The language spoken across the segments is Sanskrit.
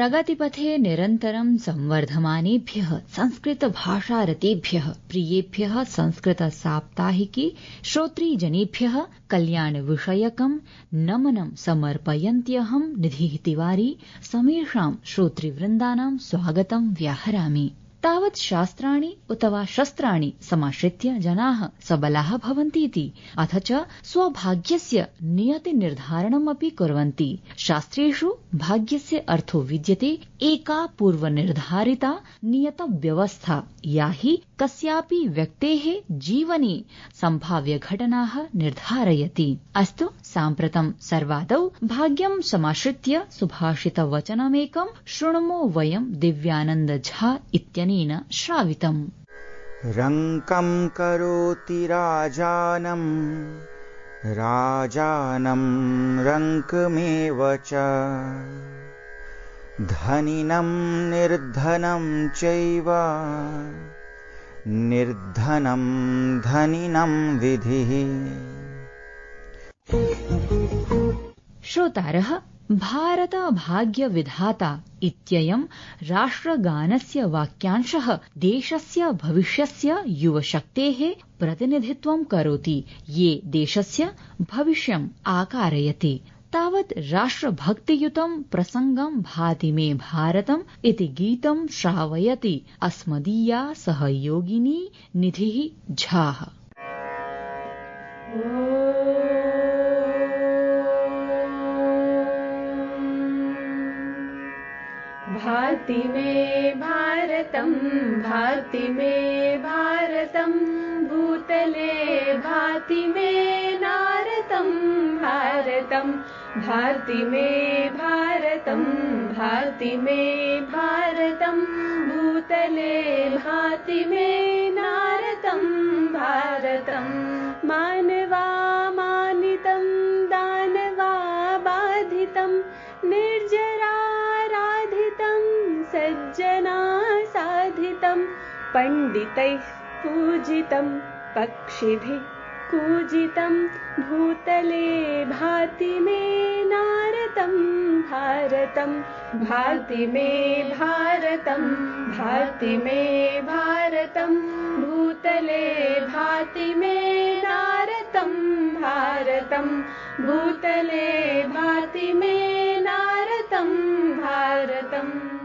प्रगतिपथे निरन्तरं संवर्धमानेभ्यः संस्कृतभाषारतेभ्यः प्रियेभ्यः संस्कृतसाप्ताहिकी श्रोतृजनेभ्यः कल्याणविषयकं नमनं समर्पयन्त्यहं निधिः तिवारी समेषां श्रोतृवृन्दानां स्वागतं व्याहरामि। तावत् शास्त्राणि उत वा शस्त्राणि समाश्रित्य जनाः सबलाः भवन्तीति अथ च स्वभाग्यस्य नियतिनिर्धारणमपि कुर्वन्ति। शास्त्रेषु भाग्यस्य अर्थो विद्यते एका पूर्वनिर्धारिता नियतव्यवस्था या हि कस्यापि व्यक्तेः जीवने सम्भाव्यघटनाः निर्धारयति। अस्तु साम्प्रतं सर्वादौ भाग्यं समाश्रित्य सुभाषितवचनमेकं शृणुमो वयं दिव्यानन्द झा इत्यनेन श्रावितम्। रङ्कं करोति राजानं राजानं रङ्कमेव च धनिनं निर्धनं चैव निर्धनं धनिनं विधिः। श्रोतारः भारत भाग्य विधाता इत्ययं राष्ट्रगानस्य वाक्यांशः देशस्य भविष्यस्य युवशक्तेः प्रतिनिधित्वं करोति ये देशस्य भविष्यम् आकारयति। तावत् राष्ट्रभक्तियुतं प्रसंगं भाति मे भारतम् इति गीतं श्रावयति अस्मदीया सहयोगिनी निधिः झा। भाति मे भारतं भाति मे भारतं भूतले भाति मे नारतं भारतं भाति मे भारतं भाति मे भारतं भूतले भाति मे नारतं भारतं मानवा मानितं दानवा बाधितं निर्जरा सज्जना साधितं पंडितैः पूजितं पक्षिभिः कूजितं भूतले भाति मे नारतं भारतं भाति मे भारतं भाति मे भारतं भूतले भाति मे नारतं भारतं भूतले भाति मे नारतं भारतम्।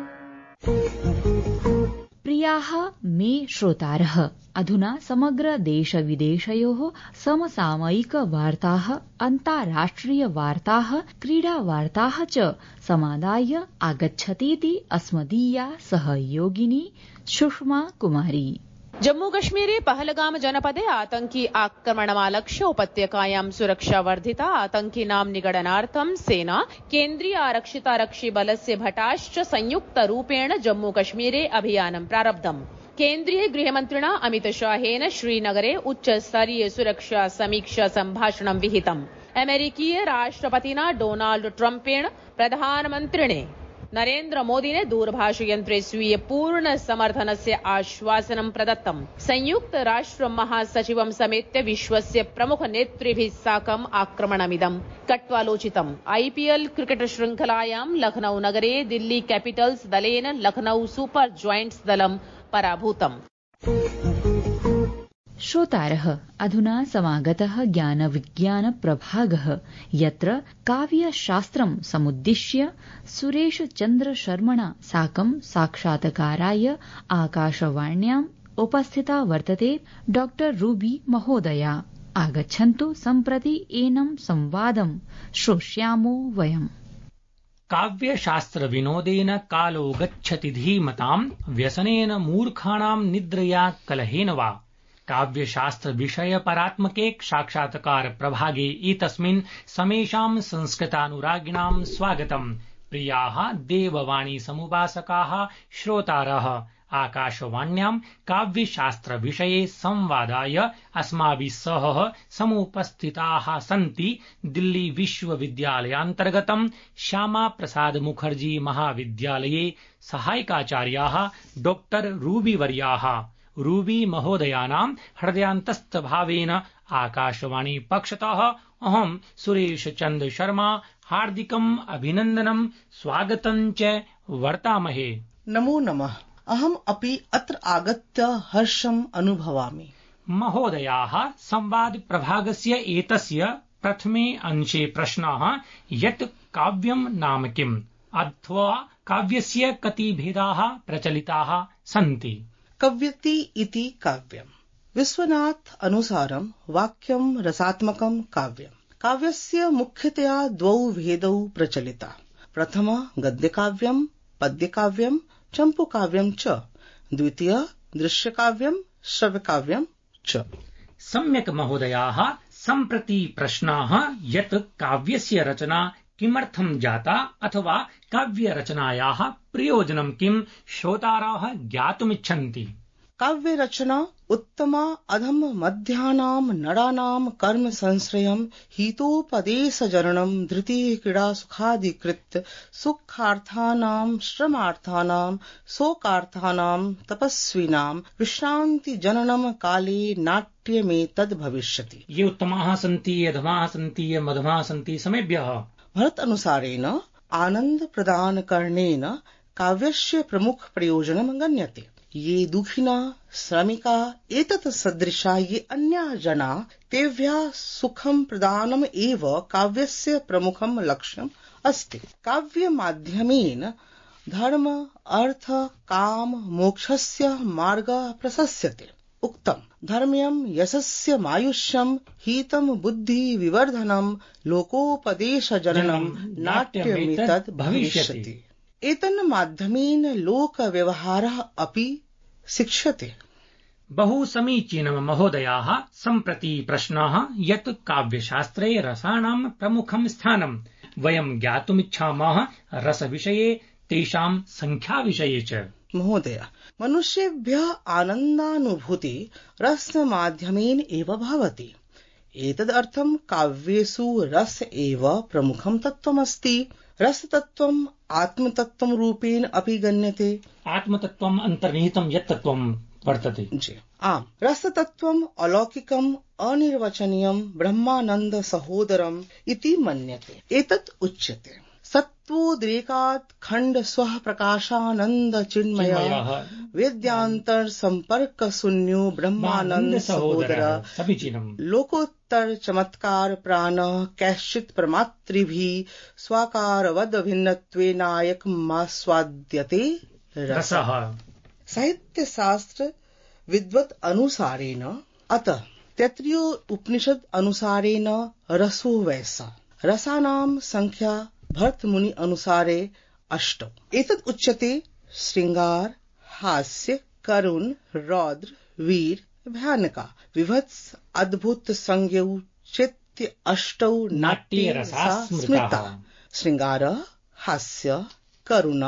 प्रियाः मे श्रोतारः, अधुना समग्र देशविदेशयोः समसामयिकवार्ताः, अन्ताराष्ट्रियवार्ताः, क्रीडावार्ताः च समादाय आगच्छतीति अस्मदीया सहयोगिनी सुषमा कुमारी। जम्मू कश्मीरे पहलगाम जनपदे आतंकी आक्रमणमालक्ष्य उपत्यकायां सुरक्षा वर्धिता। आतंकिनां निगडनार्थं सेना, केन्द्रीय आरक्षितारक्षिबलस्य भटाश्च संयुक्तरूपेण जम्मू कश्मीरे अभियानं प्रारब्धम्। केन्द्रीय गृहमन्त्रिणा अमितशाहेन श्रीनगरे उच्चस्तरीय सुरक्षा समीक्षा सम्भाषणं विहितम्। अमेरिकीय राष्ट्रपतिना डोनाल्ड ट्रम्पेण प्रधानमन्त्रिणे नरेन्द्र मोदिने दूरभाषयन्त्रे स्वीय पूर्ण समर्थनस्य आश्वासनं प्रदत्तम्। संयुक्त राष्ट्र महासचिवं समेत्य विश्वस्य प्रमुख नेतृभिः साकम् आक्रमणमिदं कट्वालोचितम्। IPL क्रिकेट शृङ्खलायां लखनऊ नगरे दिल्ली कैपिटल्स दलेन लखनऊ सुपर जॉयंट्स दलं पराभूतम्। श्रोतारः, अधुना समागतः ज्ञानविज्ञानप्रभागः, यत्र काव्यशास्त्रं समुद्दिश्य सुरेशचन्द्रशर्मणा साकं साक्षात्काराय आकाशवाण्याम् उपस्थिता वर्तते डॉ रूबी महोदया। आगच्छन्तु सम्प्रति एनं संवादं श्रोष्यामो वयम्। काव्यशास्त्रविनोदेन कालो गच्छति धीमताम्, व्यसनेन मूर्खाणां निद्रया कलहेन वा। काव्यशास्त्रविषयपरात्मके साक्षात्कार प्रभागे एतस्मिन् समेषां संस्कृतानुरागिणां स्वागतम्। प्रियाः देववाणी समुपासकाः श्रोतारः, आकाशवाण्यां काव्यशास्त्रविषये संवादाय अस्माभिः सह समुपस्थिताः सन्ति दिल्ली विश्वविद्यालयान्तर्गतं श्यामा प्रसाद मुखर्जी महाविद्यालये सहायकाचार्याः डॉ रूबी वर्याः। रूबी महोदयानां हृदयान्तस्थभावेन आकाशवाणी पक्षतः अहं सुरेश चन्द्र शर्मा हार्दिकम् अभिनन्दनं स्वागतं च वर्तामहे। नमो नमः। अहम् अपि अत्र आगत्य हर्षम् अनुभवामि। महोदयाः, संवाद प्रभागस्य एतस्य प्रथमे अंशे प्रश्नः यत् काव्यं नाम किम्, अथवा काव्यस्य कति भेदाः प्रचलिताः सन्ति। कव्यति इति काव्यम्। विश्वनाथ अनुसारं वाक्यं रसात्मकं काव्यम्। काव्यस्य मुख्यतया द्वौ भेदौ प्रचलिता। प्रथम गद्यकाव्यं, पद्यकाव्यं, चम्पूकाव्यं च। द्वितीय दृश्यकाव्यं, श्रव्यकाव्यं च। सम्यक् महोदयाः। सम्प्रति प्रश्नाः यत् काव्यस्य रचना किमर्थं जाता अथवा काव्यरचनायाः प्रयोजनं किं श्रोताराः ज्ञातुमिच्छन्ति। काव्यरचना उत्तमा अधम मध्यानां नराणां कर्म संश्रयं हितोपदेशजननं धृतिः क्रीडा सुखाधिकृत्य सुखार्थानां श्रमार्थानां शोकार्थानां तपस्विनां विश्रान्ति जननं काले नाट्यमेतद् भविष्यति। ये उत्तमाः सन्ति, ये अधमाः सन्ति, ये मध्यमाः सन्ति, समेभ्यः। भरत अनुसारेण आनंद प्रदान करणेन काव्यस्य प्रमुख प्रयोजनं गण्यते। ये दुखिना श्रमिका एतत् सदृशा ये अन्याः जनाः तेभ्यः सुखं प्रदानम् एव काव्यस्य प्रमुखं लक्ष्यम् अस्ति। काव्य माध्यमेन धर्म अर्थ काम मोक्षस्य मार्गः प्रशस्यते। उक्तम् धर्म्यं यशस्य मायुष्यं हितं बुद्धि विवर्धनं लोकोपदेशजननं नाट्यमेतद् भविष्यति। एतन् माध्यमेन लोक व्यवहारः अपि शिक्ष्यते। बहु समीचीनं महोदयाः। सम्प्रति प्रश्नः यत् काव्यशास्त्रे रसानां प्रमुखं स्थानं वयं ज्ञातुमिच्छामः रसविषये, तेषां संख्याविषये च। महोदय, मनुष्येभ्यः आनन्दानुभूति रसमाध्यमेन एव भवति। एतदर्थं काव्येषु रस एव प्रमुखं तत्त्वमस्ति। रसतत्त्वम् आत्मतत्त्वं रूपेण अपि गण्यते। आत्मतत्त्वम् अन्तर्निहितं यत् तत्त्वं वर्तते। जी आम्, रसतत्त्वम् अलौकिकम् अनिर्वचनीयं ब्रह्मानन्द सहोदरम् इति मन्यते। एतत् उच्यते सत्त्वोद्रेकात् खण्ड स्वः प्रकाशानन्द चिन्मयः वेद्यान्तर सम्पर्क शून्यो ब्रह्मानन्द सहोदर। समीचीनम्। लोकोत्तर चमत्कार प्राण कैश्चित् प्रमातृभिः स्वाकारवद भिन्नत्वेनायकमास्वाद्यते रसः। साहित्य शास्त्र विद्वत् अनुसारेण अतः तैत्तिरीय उपनिषद अनुसारेण रसो वैसा। रसानां संख्या भरत मुनि अनुसारे 8। एतत् उच्यते श्रृंगार हास्य करुण रौद्र वीर भयानका विभत्स अद्भुत संज्ञौ चैत्य 8 नाट्ये रसा स्मृता। श्रृंगार हास्य करुण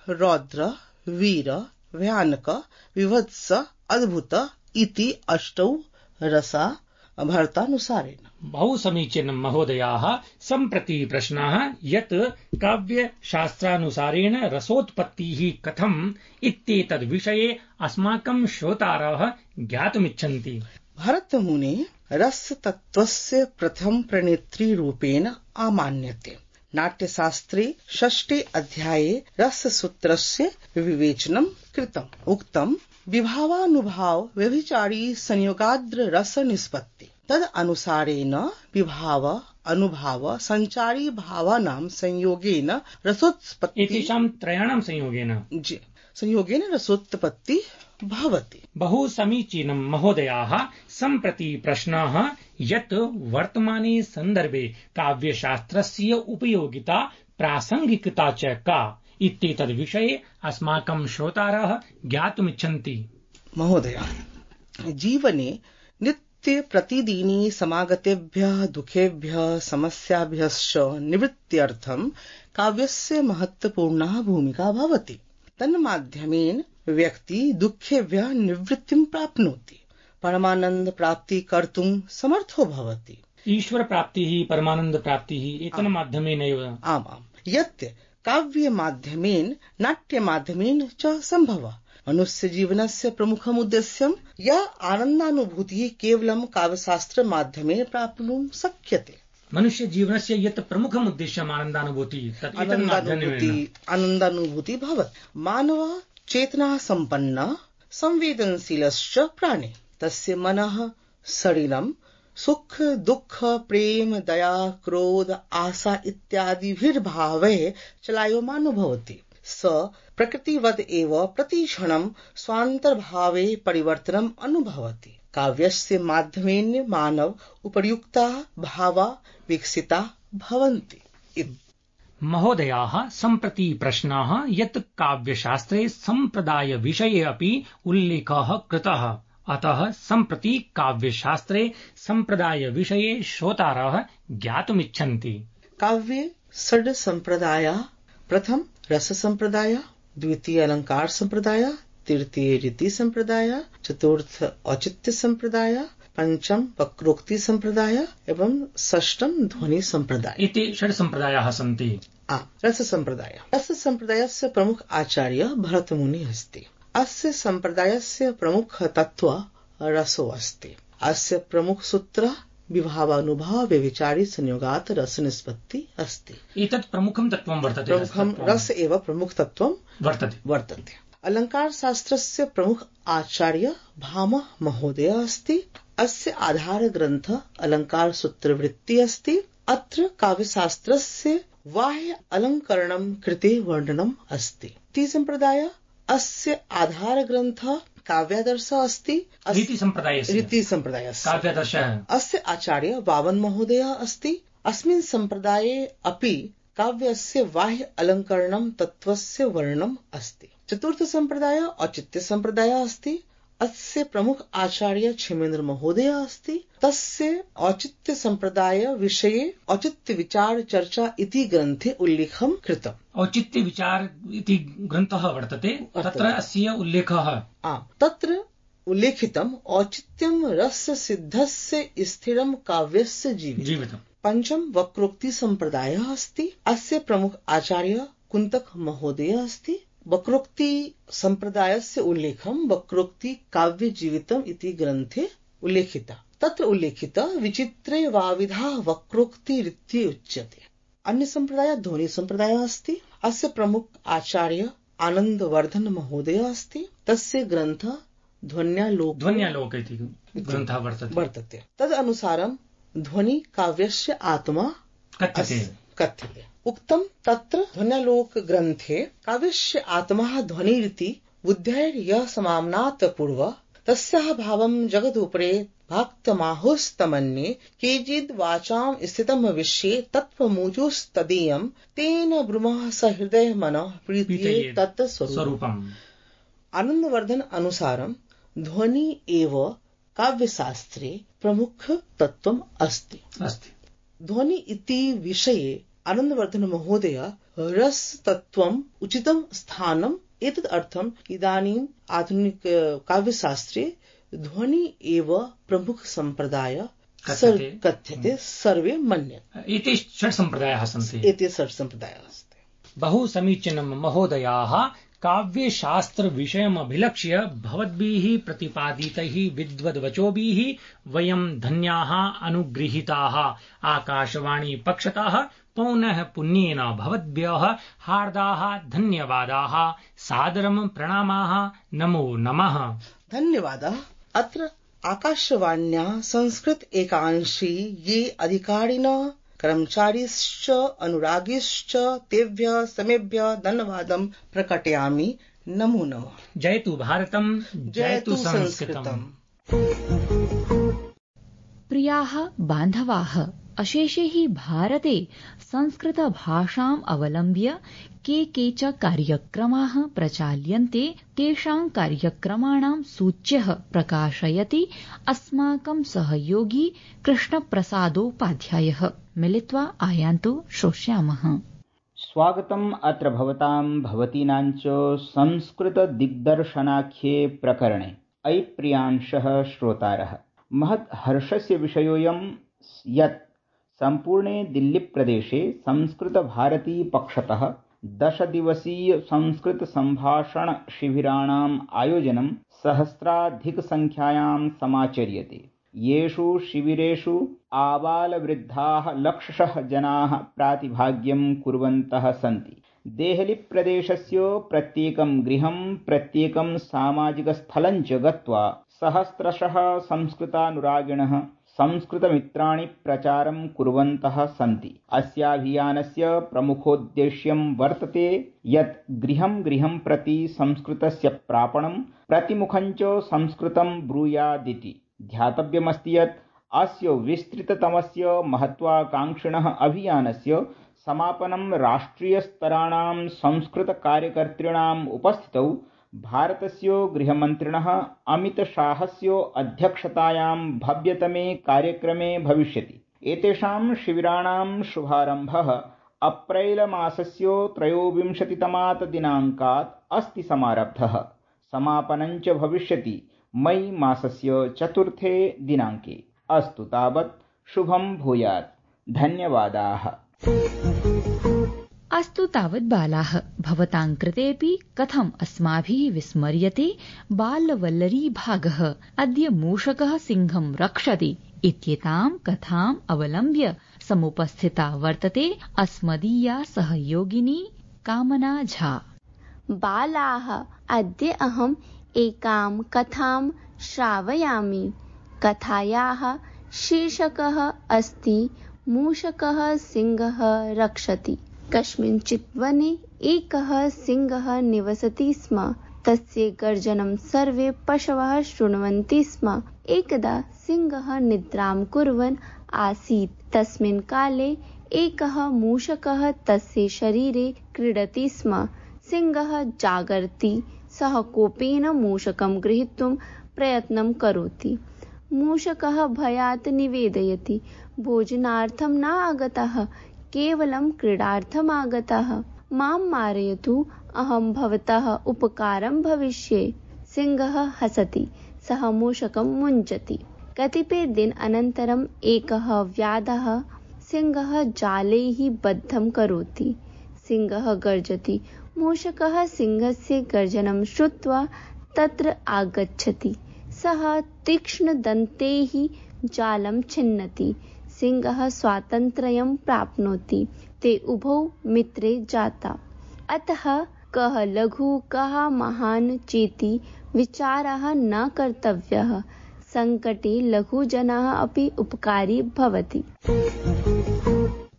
रौद्र वीर भयानक विभत्स अद्भुत इति 8 रसा भरतानुसारेण। बहु समीचीनं महोदयाः। सम्प्रति प्रश्नः यत् काव्यशास्त्रानुसारेण रसोत्पत्तिः कथम् इत्येतद् विषये अस्माकं श्रोतारः ज्ञातुमिच्छन्ति। भरतमुने रसतत्त्वस्य प्रथम प्रणेत्री रूपेण आमान्यते। नाट्यशास्त्रे 6 अध्याये रससूत्रस्य विवेचनं कृतम्। उक्तम् विभावानुभाव व्यभिचारी संयोगाद्र रस निष्पत्ति। तद अनुसारेण विभाव अनुभाव संचारी भावानां संयोगेन रसोत्पत्ति। एतेषां त्रयाणां संयोगेन रसोत्पत्ति भवति। बहु समीचीनं महोदयाः। सम्प्रति प्रश्नः यत् वर्तमाने सन्दर्भे काव्यशास्त्रस्य उपयोगिता प्रासङ्गिकता च का इत्येतद् विषये अस्माकं श्रोतारः ज्ञातुमिच्छन्ति। महोदय, जीवने नित्य प्रतिदिनी समागतेभ्यः दुःखेभ्यः समस्याभ्यश्च निवृत्त्यर्थं काव्यस्य महत्वपूर्णा भूमिका भवति। तन्माध्यमेन व्यक्ति दुःखेभ्यः निवृत्तिं प्राप्नोति, परमानन्द प्राप्ति कर्तुं समर्थो भवति। ईश्वर प्राप्तिः परमानन्द प्राप्तिः एतेन माध्यमेनैव। आमाम्, यत् काव्य माध्यमेन नाट्य माध्यमेन च सम्भवः। मनुष्य जीवनस्य प्रमुखम् उद्देश्यं या आनन्दानुभूतिः केवलं काव्यशास्त्र माध्यमेन प्राप्तुं शक्यते। मनुष्य जीवनस्य यत् प्रमुखम् उद्देश्यम् आनन्दानुभूति तत् एतन् माध्यमेन आनन्दानुभूति भवति। मानव चेतना सम्पन्न संवेदनशीलश्च प्राणी, तस्य मनः शरीरं सुख दुःख प्रेम दया क्रोध आशा इत्यादिभिर्भावैः चलायमानो भवति। स प्रकृतिवद् एव प्रतिक्षणं स्वान्तर्भावे परिवर्तनम् अनुभवति। काव्यस्य माध्यमेन मानव उपर्युक्ताः भावा विकसिता भवन्ति। महोदयाः, सम्प्रति प्रश्नः यत् काव्यशास्त्रे सम्प्रदाय विषये अपि उल्लेखः कृतः, अतः सम्प्रति काव्यशास्त्रे सम्प्रदाय विषये श्रोतारः ज्ञातुमिच्छन्ति। काव्ये षड् सम्प्रदायाः: प्रथम रस सम्प्रदाय, द्वितीय अलंकार सम्प्रदाय, तृतीय रीति सम्प्रदाय, चतुर्थ औचित्य सम्प्रदाय, पंचम वक्रोक्ति सम्प्रदाय एवं षष्ठम ध्वनि सम्प्रदाय इति षड् सम्प्रदायाः सन्ति। रस सम्प्रदाय। रस सम्प्रदायस्य प्रमुख आचार्य भरतमुनिः अस्ति। अस्य सम्प्रदायस्य प्रमुख तत्त्व रसो अस्ति। अस्य प्रमुख सूत्र विभावानुभव व्यभिचारी संयोगात् रस निष्पत्ति अस्ति। एतत् प्रमुखं तत्त्वं वर्तते। प्रमुखं रस एव प्रमुख तत्त्वं वर्तते। अलंकार शास्त्रस्य प्रमुख आचार्य भामह महोदय अस्ति। अस्य आधार ग्रन्थ अलंकार सूत्रवृत्ति अस्ति। अत्र काव्यशास्त्रस्य बाह्य अलंकरणं कृते वर्णनम् अस्ति। ती सम्प्रदाय अस्य आधार ग्रन्थ काव्यादर्श अस्ति। रीति सम्प्रदायस्य काव्यादर्शः अस्य आचार्य वामन महोदय अस्ति। अस्मिन् सम्प्रदाये अपि काव्यस्य बाह्य अलंकरणं तत्त्वस्य वर्णनम् अस्ति। चतुर्थ सम्प्रदाय औचित्य सम्प्रदाय अस्ति। अस्य प्रमुख आचार्य क्षेमेन्द्र महोदय अस्ति। तस्य औचित्य सम्प्रदाय विषये औचित्य विचार चर्चा इति ग्रन्थे उल्लेखं कृतम्। औचित्य विचार इति ग्रन्थः वर्तते, तत्र अस्य उल्लेखः। तत्र उल्लेखितम् औचित्यं रस्य सिद्धस्य स्थिरं काव्यस्य जीवितम्। पंचम वक्रोक्ति सम्प्रदायः अस्ति। अस्य प्रमुख आचार्य कुन्तक महोदय अस्ति। वक्रोक्ति सम्प्रदायस्य उल्लेखं वक्रोक्ति काव्य जीवितम् इति ग्रन्थे उल्लेखिता। तत्र उल्लेखित विचित्रे वाविधा वक्रोक्ति रीत्यै उच्यते। अन्य सम्प्रदाय ध्वनि सम्प्रदायः अस्ति। अस्य प्रमुख आचार्य आनन्दवर्धन महोदय अस्ति। तस्य ग्रन्थ ध्वन्यालोक इति ग्रन्थः वर्तते। तदनुसारं ध्वनि काव्यस्य आत्मा कथ्यते। उक्तम तत्र ध्वन्यालोक ग्रन्थे काव्यस्य आत्मा ध्वनिरिति बुद्धैर्यः समाम्नात् पूर्व तस्याः भावं जगदुपरे भाक्तमाहुस्तमन्ये केचिद् वाचां स्थितं विषये तत्त्वमुचुस्तदीयं तेन ब्रूमः स हृदय मनः प्रीत्यै तत् स्वरूपम्। आनन्दवर्धन अनुसारं ध्वनि एव काव्यशास्त्रे प्रमुख तत्त्वम् अस्ति। ध्वनि इति विषये आनन्दवर्धन महोदय रस तत्त्वम् उचितं स्थानम् एतद् अर्थम् इदानीम् आधुनिक काव्यशास्त्रे ध्वनि एव प्रमुख सम्प्रदाय कथ्यते, सर्वे मन्यन्ते। एते षड् सम्प्रदायाः सन्ति। बहु समीचीनं महोदयाः। काव्यशास्त्रविषयमभिलक्ष्य भवद्भिः प्रतिपादितैः विद्वद्वचोभिः वयं धन्याः अनुगृहीताः। आकाशवाणी पक्षतः पौनः पुण्येन भवद्भ्यः हार्दाः धन्यवादाः, सादरं प्रणामाः, नमो नमः। धन्यवादः। अत्र आकाशवाण्याः संस्कृत एकांशी ये अधिकारिणः कर्मचारिश्च अनुरागिश्च तेभ्यः समेभ्यः धन्यवादं प्रकटयामि। नमो नमः। जयतु भारतम्, जयतु संस्कृतम्। प्रियाः बान्धवाः, अशेषे हि भारते संस्कृतभाषाम् अवलम्ब्य के च कार्यक्रमाः प्रचाल्यन्ते। तेषां कार्यक्रमाणां सूच्यः प्रकाशयति अस्माकं सहयोगी कृष्णप्रसादोपाध्यायः। मिलित्वा आयान्तु श्रोष्यामः। स्वागतम् अत्र भवतां भवतीनां च संस्कृतदिग्दर्शनाख्ये प्रकरणे। अयि प्रियांशः श्रोतारः, महत् हर्षस्य विषयोऽयं यत् सम्पूर्णे दिल्लीप्रदेशे संस्कृतभारती पक्षतः 10 दिवसीय संस्कृत सम्भाषण शिबिराणाम् आयोजनं सहस्राधिकसंख्यायां समाचर्यते। येषु शिबिरेषु आबालवृद्धाः लक्षशः जनाः प्रातिभाग्यं कुर्वन्तः सन्ति। देहलीप्रदेशस्य प्रत्येकं गृहं प्रत्येकं सामाजिकस्थलं च गत्वा सहस्रशः संस्कृतानुरागिणः संस्कृतमित्राणि प्रचारं कुर्वन्तः सन्ति। अस्याभियानस्य प्रमुखोद्देश्यं वर्तते यत् गृहं गृहं प्रति संस्कृतस्य प्रापणं प्रतिमुखं च संस्कृतं ब्रूयादिति। ध्यातव्यमस्ति यत् अस्य विस्तृततमस्य महत्वाकांक्षिणः अभियानस्य समापनं राष्ट्रियस्तराणां संस्कृतकार्यकर्तॄणाम् उपस्थितौ भारतस्य गृहमन्त्रिणः अमितशाहस्य अध्यक्षतायां भव्यतमे कार्यक्रमे भविष्यति। एतेषां शिबिराणां शुभारम्भः अप्रैलमासस्य 23तमात् दिनाङ्कात् अस्ति समारब्धः। समापनं च भविष्यति मई मासस्य 4 दिनाङ्के। अस्तु तावत्, शुभं भूयात्। धन्यवादाः। अस्तु तावत् बालाः, भवतां कृतेऽपि कथम् अस्माभिः विस्मर्यते बालवल्लरी भागः अद्य मूषकः सिंहं रक्षति इत्येतां कथाम् अवलम्ब्य समुपस्थिता वर्तते अस्मदीया सहयोगिनी कामना झा। बालाः, अद्य अहम् एकां कथां श्रावयामि। कथायाः शीर्षकः अस्ति मूषकः सिंहः रक्षति। कस्मिंश्चित् वने एकः सिंहः निवसति स्म। तस्य गर्जनं सर्वे पशवः शृण्वन्ति स्म। एकदा सिंहः निद्रां कुर्वन् आसीत्। तस्मिन् काले एकः मूषकः तस्य शरीरे क्रीडति स्म। सिंहः जागर्ति। सः कोपेन मूषकं गृहीतुं प्रयत्नं करोति। मूषकः भयात् निवेदयति, भोजनार्थं न आगतः, केवलं क्रीडार्थम् आगतः। मां मारयतु, अहं भवतः उपकारं भविष्ये। सिंहः हसति। सः मूषकं मुञ्चति। कतिपयदिनानन्तरम् एकः व्याधः सिंहः जालैः बद्धं करोति। सिंहः गर्जति। मूषकः सिंहस्य गर्जनं श्रुत्वा तत्र आगच्छति। सः तीक्ष्णदन्तैः जालं छिन्नति। सिंहः स्वातन्त्र्यं प्राप्नोति। ते उभौ मित्रे जाता। अतः कः लघु कः महान् चेति विचारः न कर्तव्यः। संकटे लघुजनः अपि उपकारी भवति।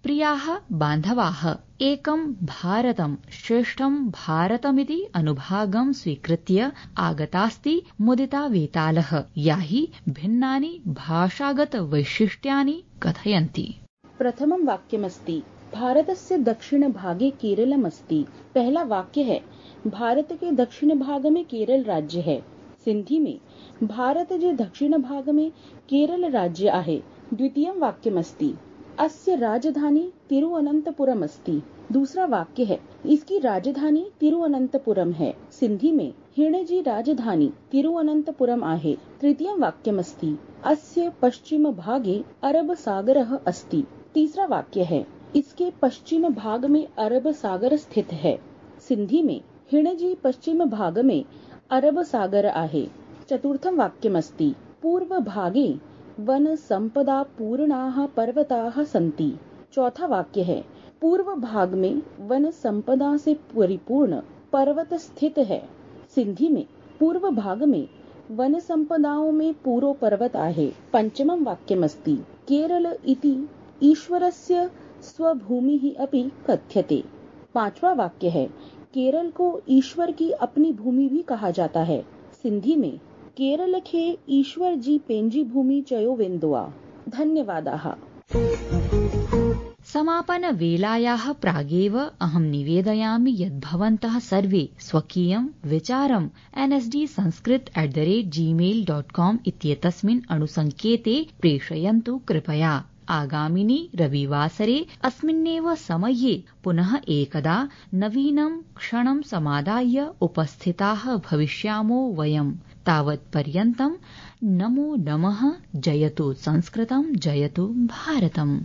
प्रियाः बान्धवाः, एकं भारतं श्रेष्ठं भारतमिति अनुभागं स्वीकृत्य आगतास्ति मुदिता वेतालः, या हि भिन्नानि भाषागतवैशिष्ट्यानि कथयन्ति। प्रथमं वाक्यमस्ति भारतस्य दक्षिणभागे केरलमस्ति। पहला वाक्य है भारत के दक्षिण भाग में केरल राज्य है। सिंधी में भारत जे दक्षिण भाग में केरल राज्य आहे। द्वितीयं वाक्यमस्ति अस्य राजधानी तिरुवनंतपुरम अस्ति। दूसरा वाक्य है इसकी राजधानी तिरुवनंतपुरम है। सिंधी में हिणजी राजधानी तिरुवनंतपुरम आहे। तृतीयं वाक्यमस्ति अस्य पश्चिम भागे अरब सागरः अस्ति। तीसरा वाक्य है इसके पश्चिम भाग में अरब सागर स्थित है। सिंधी में हिणजी पश्चिम भाग में अरब सागर आहे। चतुर्थं वाक्यमस्ति पूर्व भागे वन संपदा पूर्णाः पर्वताः सन्ति। चौथा वाक्य है पूर्व भाग में वन संपदा से परिपूर्ण पर्वत स्थित है। सिंधी में पूर्व भाग में वन संपदाओं में पूरो पर्वत आहे। पंचमं वाक्यमस्ति केरल इति ईश्वरस्य स्वभूमिः अपि कथ्यते। पांचवा वाक्य है केरल को ईश्वर की अपनी भूमि भी कहा जाता है। सिंधी में केरल खे ईश्वर जी पेंजी भूमि चयो वेन्दुआ। धन्यवादाः। समापनवेलायाः प्रागेव अहं निवेदयामि यत् भवन्तः सर्वे स्वकीयं विचारं nsdsanskrit@gmail.com इत्येतस्मिन् अणुसङ्केते प्रेषयन्तु कृपया। आगामिनि रविवासरे अस्मिन्नेव समये पुनः एकदा नवीनं क्षणं समादाय उपस्थिताः भविष्यामो वयम्। तावत्पर्यन्तं नमो नमः। जयतु संस्कृतं, जयतु भारतम्।